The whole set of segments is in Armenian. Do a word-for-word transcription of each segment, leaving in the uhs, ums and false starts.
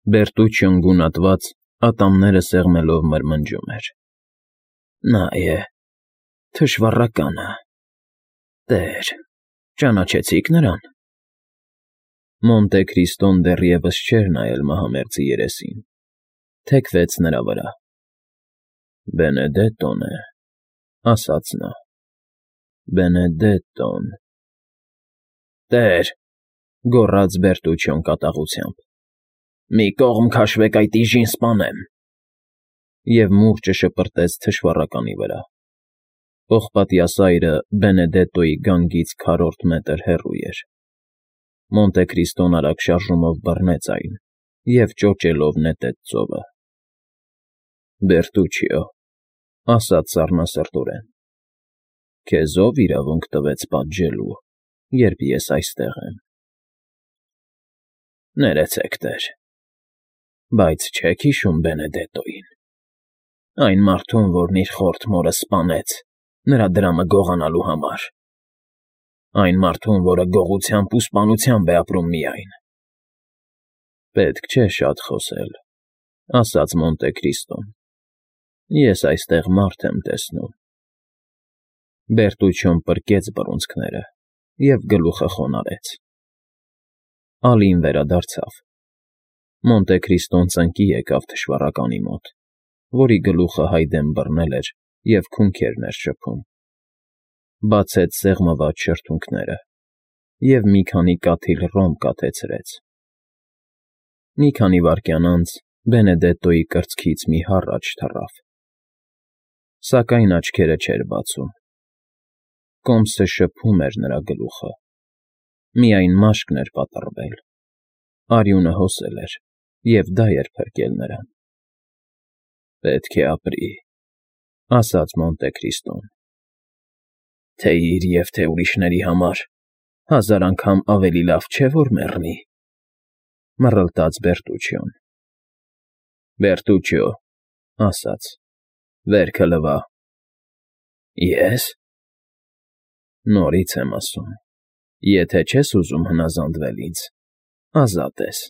Բերտուչիոն գունատված, ատամները սեղմելով մրմնջում էր. ֊ Նա է, թշվառականը, տեր, ճանաչեցի՞ք նրան… Մոնտե Քրիստոն դեռևս չէր նայել մահամերձի երեսին, թեքվեց նրա վրա։ ֊ Բենեդետտոն է,֊ ասաց նա,֊ Բենեդետտոն… ֊ Տեր,֊ գոռաց Բերտուչիոն կատաղությամբ,֊ մի կողմ քաշվեք, այդ իժին սպանեմ… Եվ մուրճը շպրտեց թշվառականի վրա։ Պողպատյա սայրը Բենեդետտոյի գանգից քառորդ մետր հեռու էր։ Մոնտե Քրիստոն արագ շարժումով բռնեց այն և ճոճելով նետեց ծովը։ ֊ Բերտուչիո,֊ ասաց սառնասրտորեն,֊ քեզ ո՞վ իրավունք տվեց պատժելու, երբ ես այստեղ եմ։ ֊ Ներեցեք, տեր… Բայց չե՞ք հիշում Բենեդետտոյին… Այն մարդուն, որն իր խորթ մորը սպանեց նրա դրամը գողանալու համար… Այն մարդուն, որը գողությամբ ու սպանությամբ է ապրում միայն… ֊ Պետք չէ շատ խոսել,֊ ասաց Մոնտե Քրիստոն,֊ ես այստեղ մարդ եմ տեսնում։ Բերտուչիոն պրկեց բռունցքները և գլուխը խոնարհեց։ Ալին վերադարձավ։ Մոնտե Քրիստոն ծնկի եկավ թշվառականի մոտ, որի գլուխը հայդեն բռնել էր և քունքերն էր շփում, բացեց սեղմված շրթունքները և մի քանի կաթիլ ռոմ կաթեցրեց։ Մի քանի վայրկյան անց Բենեդետտոյի կրծքից մի հառաչ թռավ, սակայն աչքերը չէր բացում։ Կոմսը շփում էր նրա գլուխը, միայն մաշկն էր պատռվել, արյունը հոսել էր, և դա էր փրկել նրան։ ֊ Պետք է ապրի,֊ ասաց Մոնտե Քրիստոն։ ֊ Թե իր և թե ուրիշների համար հազար անգամ ավելի լավ չէ, որ մեռնի,֊ մռլտաց Բերտուչիոն։ ֊ Բերտուչիո,֊ ասաց,֊ վերքը լվա։ ֊ Ե՞ս… Նորից եմ ասում, եթե չես ուզում հնազանդվել ինձ, ազատ ես…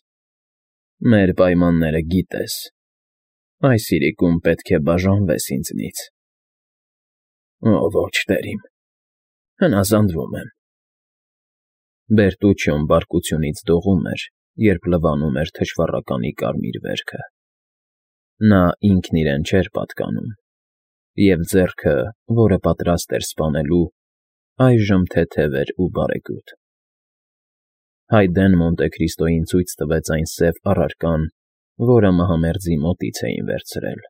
Մեր պայմանները գիտես… Այս իրիկում պետք է բաժանվես ինձնից։ ֊ Օ, ոչ, տեր իմ, հնազանդվում եմ… Բերտուչիոն բարկությունից դողում էր, երբ լվանում էր թշվառականի կարմիր վերքը։ Նա ինքն իրեն չէր պատկանում, և ձեռքը, որը պատրաստ էր սպանելու, այժմ թեթև էր ու բարեգութ։ Հայդեն Մոնտե Քրիստոյին ցույց տվեց այն սև առարկան, որը մահամերձի մոտից էին վերցրել։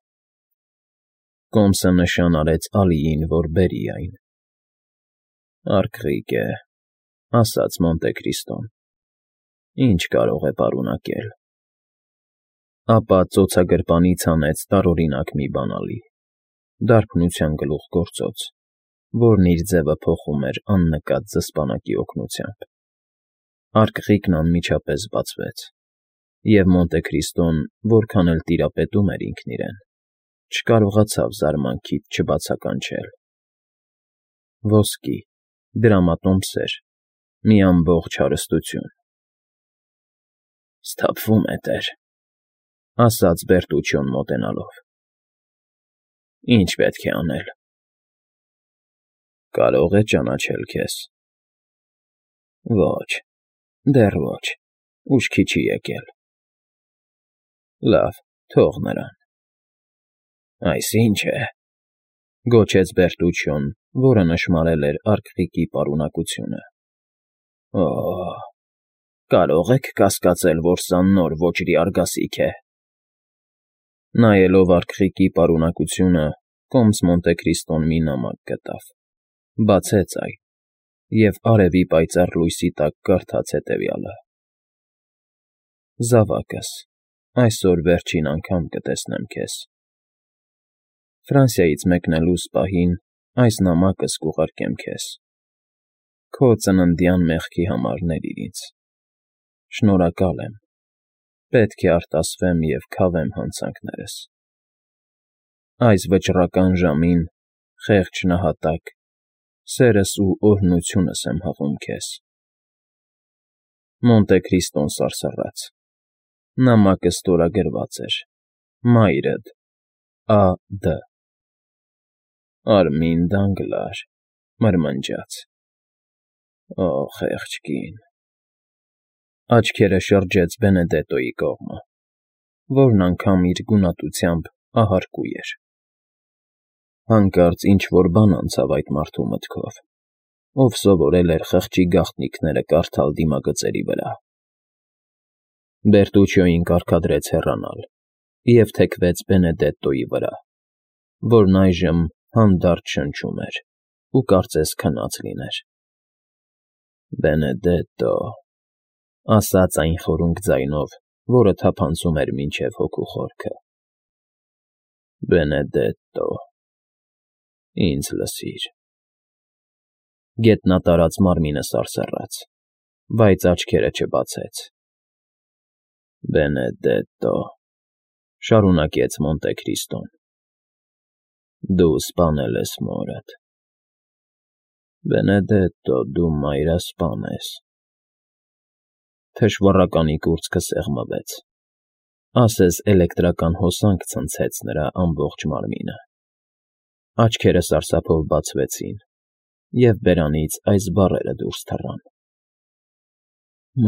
Կոմսը նշան արեց Ալիին, որ բերի այն։ ֊ Արկղիկ է,֊ ասաց Մոնտե Քրիստոն,֊ ինչ կարող է պարունակել… Ապա ծոցագրպանից հանեց տարօրինակ մի բանալի, դարբնության գլուխգործոց, որն իր ձևը փոխում էր աննկատ զսպանակի օգնությամբ։ Արկղիկն անմիջապես բացվեց, և Մոնտե Քրիստոն, որքան էլ տիրապետում էր ինքն իրեն, չկարողացավ զարմանքից չբացականչել։ Ոսկի, դրամատոմսեր, մի ամբողջ հարստություն… ֊ Սթափվում է, տեր,֊ ասաց Բերտուչիոն մոտենալով։ ֊ Ի՞նչ պետք է անել։ ֊ Կարո՞ղ է ճանաչել քեզ։ ֊ Ոչ, դեռ ոչ, ուշքի չի եկել։ ֊ Լավ, թող նրան… ֊ Այս ի՞նչ է,֊ գոչեց Բերտուչիոն, որը նշմարել էր արկղիկի պարունակությունը։ ֊ Օ՜, կարո՞ղ եք կասկածել, որ սա նոր ոճրի արգասիկ է։ Նայելով արկղիկի պարունակությունը՝ կոմս Մոնտե Քրիստոն մի նամակ գտավ, բացեց այն և արևի պայծառ լույսի տակ կարդաց հետևյալը. Զավակս, այսօր վերջին անգամ կտեսնեմ քեզ… Ֆրանսիայից մեկնելուս պահին այս նամակս կուղարկեմ քեզ… Քո ծննդյան մեղքի համար ների ինձ… Շնորհակալ եմ… Պետք է արտասվեմ և քավեմ հանցանքներս… Այս վճռական ժամին, խեղճ նահատակ, սերս ու օրհնությունս եմ հղում քեզ… Մոնտե Քրիստոն սարսռաց։ Նամակը ստորագրված էր. Մայրդ Ա. Դ. Արմին Դանգլար, մրմնջաց. Օ, խեղճ կին… Աչքերը շրջեց Բենեդետոյի կողմը, որն անգամ իր գունատությամբ ահարկու էր… Հանկարծ ինչ֊որ բան անցավ այդ մարդու մտքով, ով սովորել էր խղճի գաղտնիքները կարդալ դիմագծերի վրա… Բերտուչիոյին կարգադրեց հեռանալ և թեքվեց Բենեդետոյի վրա, որն այժմ հանդարտ շնչում էր ու կարծես քնած լիներ։ ֊ Բենեդետո…֊ ասաց այն խորունկ ձայնով, որը թափանցում էր մինչև հոգու խորքը։ ֊ Բենեդետո… ինձ լսիր… Գետնատարած մարմինը սարսռաց, բայց աչքերը չբացեց։ ֊ Բենեդետո…֊ շարունակեց Մոնտե Քրիստոն…֊ Դու սպանել ես մորդ… Բենեդետո, դու մայրասպան ես… Թշվառականի կուրծքը սեղմվեց, ասես էլեկտրական հոսանք ցնցեց նրա ամբողջ մարմինը… Աչքերը սարսափով բացվեցին, և բերանից այս բառերը դուրս թռան.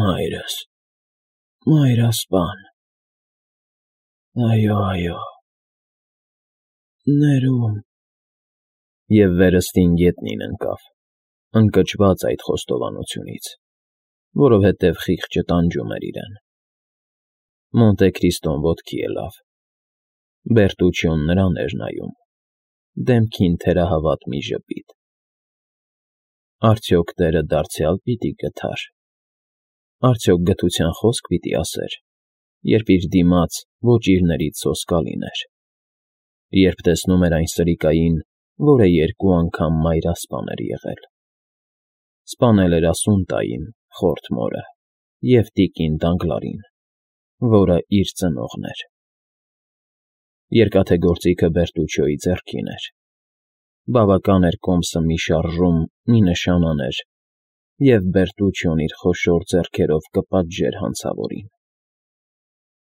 Մայրս… մայրասպան… այո, այո… ներում… Եվ վերստին գետնին ընկավ, ընկճված այդ խոստովանությունից, որովհետև խիղճը տանջում էր իրեն… Մոնտե Քրիստոն ոտքի ելավ… Բերտուչիոն նրան էր նայում, դեմքին թերահավատ մի ժպիտ… Արդյոք տերը դարձյալ պիտի գթար… Արդյոք գթության խոսք պիտի ասեր, երբ իր դիմաց ոչ իրներից սոսկալին էր… Երբ տեսնում էր այն սրիկային, որը երկու անգամ մայրասպան էր եղել… Սպանել էր Ասունտային, խորթ մորը, և տիկին Դանգլարին, որը իր ծնողն էր… Երկաթե գործիքը Բերտուչիոյի ձեռքին էր… Բավական էր կոմսը մի շարժում, մի նշան աներ, և Բերտուչիոն իր խոշոր ձեռքերով կպատժեր հանցավորին…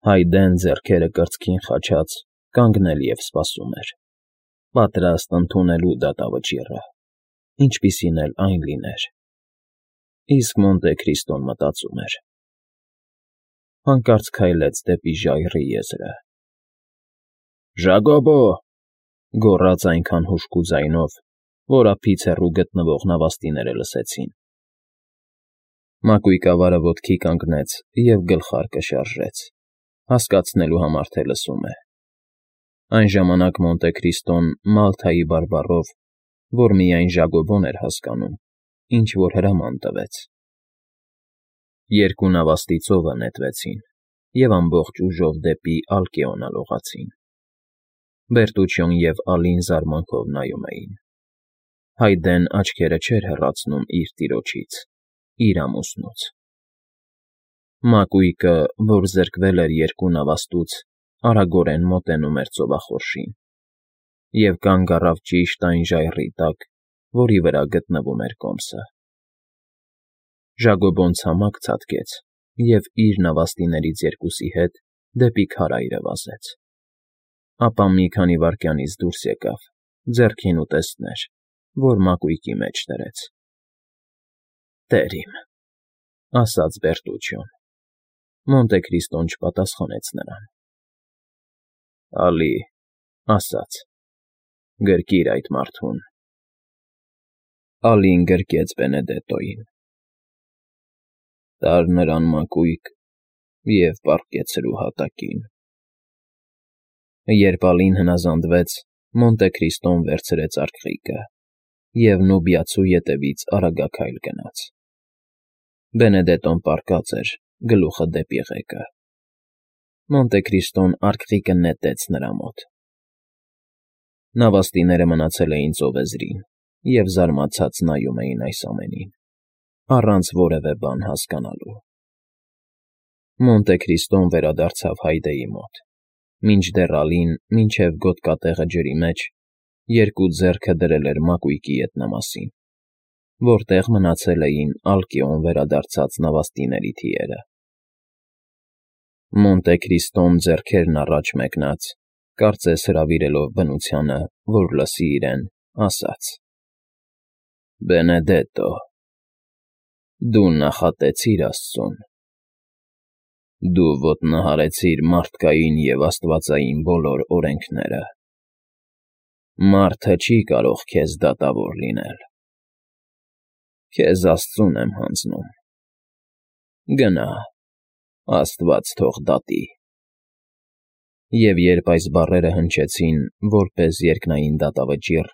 Հայդեն, ձեռքերը կրծքին խաչած, կանգնել և սպասում էր, պատրաստ ընդունելու դատավճիռը, ինչպիսին էլ այն լիներ… Իսկ Մոնտե Քրիստոն մտածում էր… Հանկարծ քայլեց դեպի ժայռի եզրը… Ժագոբո՜… գոռաց այնքան հուժկու ձայնով, որ ափից հեռու գտնվող նավաստիները լսեցին… Մակույկավարը ոտքի կանգնեց և գլխարկը շարժեց, հասկացնելու համար, թե լսում է… Այն ժամանակ Մոնտե Քրիստոն Մալթայի բարբառով, որ միայն Ժագոբոն էր հասկանում, ինչ֊որ հրաման տվեց… Երկու նավաստի ծովը նետվեցին և ամբողջ ուժով դեպի Ալկեոնը լողացին… Բերտուչիոն և Ալին զարմանքով նայում էին… Հայդեն աչքերը չէր հեռացնում իր տիրոջից, իր ամուսնուց… Մակույկը, որ զրկվել էր երկու նավաստուց, արագորեն մոտենում էր ծովախորշին և կանգ առավ ճիշտ այն ժայռի տակ, որի վրա գտնվում էր կոմսը… Ժագոբոն ցամաք ցատկեց և իր նավաստիներից երկուսի հետ դեպի քարայրը վազեց… Ապա մի քանի վայրկյանից դուրս եկավ, ձեռքին ուտեստներ, որ մակույկի մեջ դրեց… ֊ Տեր իմ…֊ ասաց Բերտուչիոն… Մոնտե Քրիստոն չպատասխանեց նրան… Ալի…֊ ասաց…֊ Գրկիր այդ մարդուն… Ալին գրկեց Բենեդետոյին… Տար նրան մակույկ և պառկեցրու հատակին… Երբ Ալին հնազանդվեց, Մոնտե Քրիստոն վերցրեց արքղիկը և Նուբիացու ետևից արագաքայլ գնաց… Բենեդետոն պառկած էր, գլուխը դեպի ղեկը… Մոնտե Քրիստոն արքղիկը նետեց նրա մոտ… Նավաստիները մնացել էին ծովեզրին և զարմացած նայում էին այս ամենին, առանց որևէ բան հասկանալու… Մոնտե Քրիստոն վերադարձավ Հայդեի մոտ, մինչդեռ Ալին մինչև գոտկատեղը ջրի մեջ երկու ձեռքը դրել էր մակույկի ետնամասին, որտեղ մնացել էին Ալկեոն վերադարձած նավաստիների թիերը… Մոնտե Քրիստոն ձեռքերն առաջ մեկնած, կարծես հրավիրելով բնությանը, որ լսի իրեն, ասաց. Բենեդետտո, դու նախատեցիր աստծուն, դու ոտնահարեցիր մարդկային և աստվածային բոլոր օրենքները, մարդը չի կարող քեզ դատավոր լինել, քեզ աստծուն եմ հանձնում, գնա, աստված թող դատի։ Եվ երբ այս բառերը հնչեցին, որպես երկնային դատավճիռ,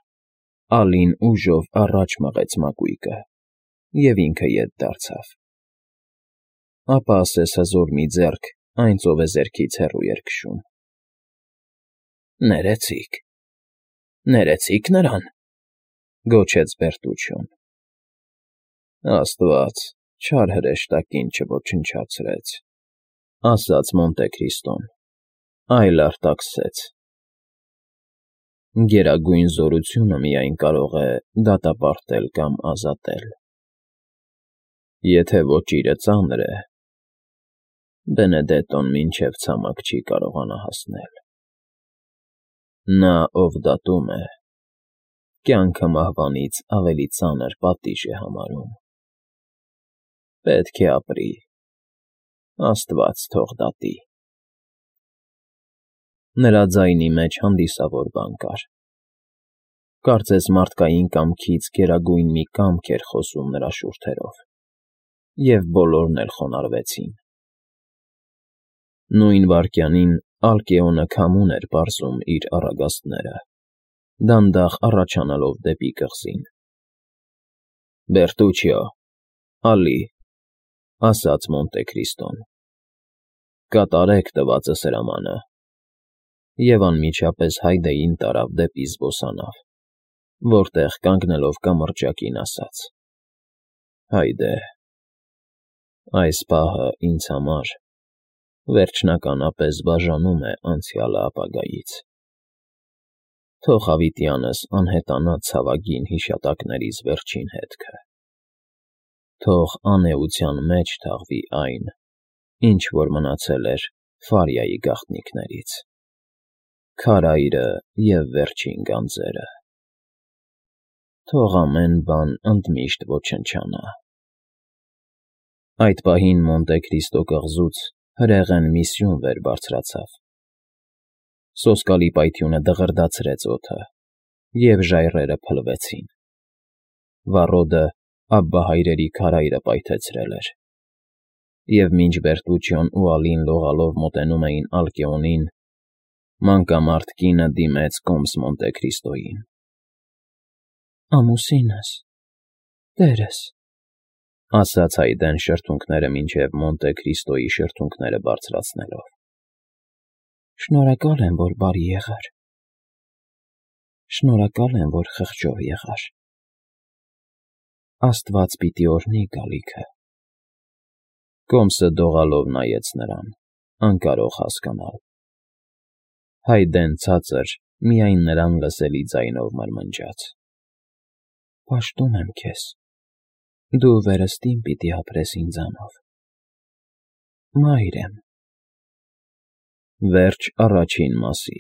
Ալին ուժով առաջ մղեց մակույկը և ինքը ետ դարձավ։ Ապա ասես հզոր մի ձեռք այն ծովեզերքից հեռու էր քշում։ Ներեցի՛ք, ներեցի՛ք նրան, գոչեց Բերտուչոն։ Աստված չար հրեշտակին չոչնչացրեց, ասաց Մոնտե Քրիստոն, այլ արտաքսեց. գերագույն զորությունը միայն կարող է դատապարտել կամ ազատել։ Եթե ոճիրը ծանր է, Բենեդետտոն մինչև ցամաք չի կարողանա հասնել։ Նա, ով դատում է, կյանքը մահվանից ավելի ծանր պատիժ է համարում։ Պետք է ապրի, աստված թող դատի։ Նրա ձայնի մեջ հանդիսավոր բան կար։ Կարծես մարդկային կամքից գերագույն մի կամք էր խոսում նրա շուրթերով, և բոլորն էլ խոնարհվեցին։ Նույն վայրկյանին Ալկեոնը քամուն էր պարզում իր առագաստները, դանդաղ առաջանալով դեպի կղզին։ Բերտուչիո, Ալի, ասաց Մոնտե Քրիստոն, կատարեք տվածս հրամանը, և անմիջապես Հայդեին տարավ դեպի զբոսանավ, որտեղ կանգնելով կամրջակին ասաց. Հայդե, այս պահը ինձ համար վերջնականապես բաժանում է անցյալը ապագայից։ Թող հավիտյանս անհետանա ցավագին հիշատակներիս վերջին հետքը։ Թող անէության մեջ թաղվի այն, ինչ որ մնացել էր Ֆարիայի գաղտնիքներից, քարայրը և վերջին գանձերը։ Թող ամեն բան ընդմիշտ ոչնչանա։ Այդ պահին Մոնտե Քրիստո կղզուց հրեղեն մի սյուն վեր բարձրացավ։ Սոսկալի պայթյունը դղրդացրեց օդը, և ժայռերը փլվեցին։ Վառոդը Աբբահայրերի քարայրը պայթեցրել էր, և մինչ Բերտուչիոն ու Ալին լողալով մոտենում էին Ալկեոնին, մանկամարդ կինը դիմեց կոմս Մոնտե Քրիստոյին։ Ամուսինս, տերս, ասաց Հայդեն շրթունքները մինչև Մոնտե Քրիստոյի շրթունքները բարձրացնելով։ Շնորհակալ եմ, որ բարի եղար։ Շնորհակալ եմ, որ խղճով եղար։ Աստված պիտի օրհնի գալիքը։ Կոմսը դողալով նայեց նրան, անկարող հասկանալ։ Հայդեն ցածր, միայն նրան լսելի ձայնով մրմնջաց. Պաշտում եմ քեզ, դու վերստին պիտի ապրես ինձանով։ Մայր եմ։ Վերջ առաջին մասի։